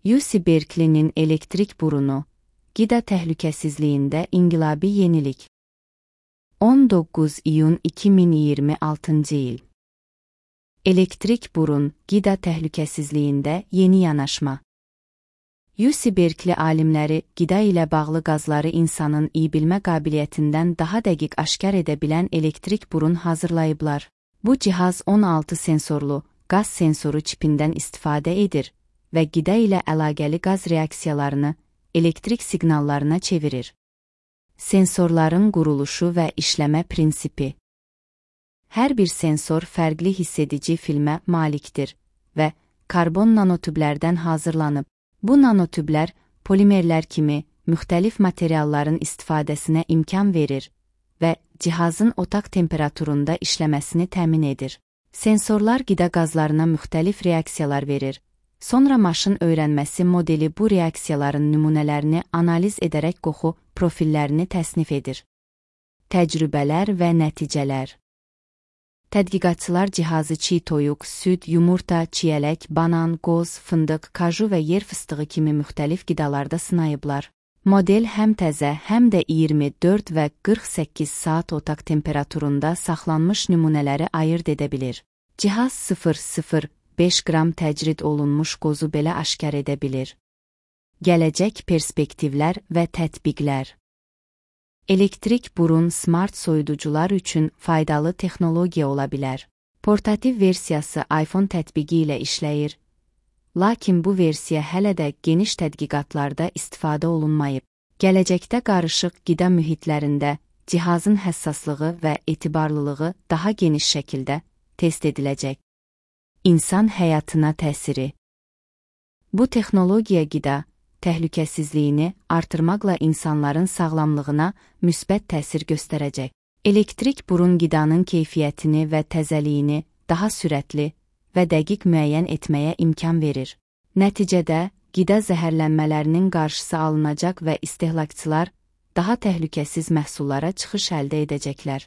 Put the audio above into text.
UC Berkeley'nin elektrik burunu, qida təhlükəsizliyində inqilabi yenilik. 19 iyun 2026 il. Elektrik burun, qida təhlükəsizliyində yeni yanaşma. UC Berkeley alimləri qida ilə bağlı qazları insanın iyi bilmə qabiliyyətindən daha dəqiq aşkar edə bilən elektrik burun hazırlayıblar. Bu cihaz 16 sensorlu qaz sensoru çipindən istifadə edir və qida ilə əlaqəli qaz reaksiyalarını elektrik siqnallarına çevirir. Sensorların quruluşu və işləmə prinsipi. Hər bir sensor fərqli hissedici filmə malikdir və karbon nanotüblərdən hazırlanıb. Bu nanotüblər polimerlər kimi müxtəlif materialların istifadəsinə imkan verir və cihazın otaq temperaturunda işləməsini təmin edir. Sensorlar qida qazlarına müxtəlif reaksiyalar verir. Sonra maşın öyrənməsi modeli bu reaksiyaların nümunələrini analiz edərək qoxu profillərini təsnif edir. Təcrübələr və nəticələr. Tədqiqatçılar cihazı çiy toyuq, süd, yumurta, çiyələk, banan, qoz, fındıq, kaju və yer fıstığı kimi müxtəlif qidalarda sınayıblar. Model həm təzə, həm də 24 və 48 saat otaq temperaturunda saxlanmış nümunələri ayırd edə bilir. Cihaz 0,05 qram təcrid olunmuş qozu belə aşkar edə bilir. Gələcək perspektivlər və tətbiqlər. Elektrik burun smart soyuducular üçün faydalı texnologiya ola bilər. Portativ versiyası iPhone tətbiqi ilə işləyir, lakin bu versiya hələ də geniş tədqiqatlarda istifadə olunmayıb. Gələcəkdə qarışıq qida mühitlərində cihazın həssaslığı və etibarlılığı daha geniş şəkildə test ediləcək. İnsan həyatına təsiri. Bu texnologiya qida təhlükəsizliyini artırmaqla insanların sağlamlığına müsbət təsir göstərəcək. Elektrik burun qidanın keyfiyyətini və təzəliyini daha sürətli və dəqiq müəyyən etməyə imkan verir. Nəticədə, qida zəhərlənmələrinin qarşısı alınacaq və istehlakçılar daha təhlükəsiz məhsullara çıxış əldə edəcəklər.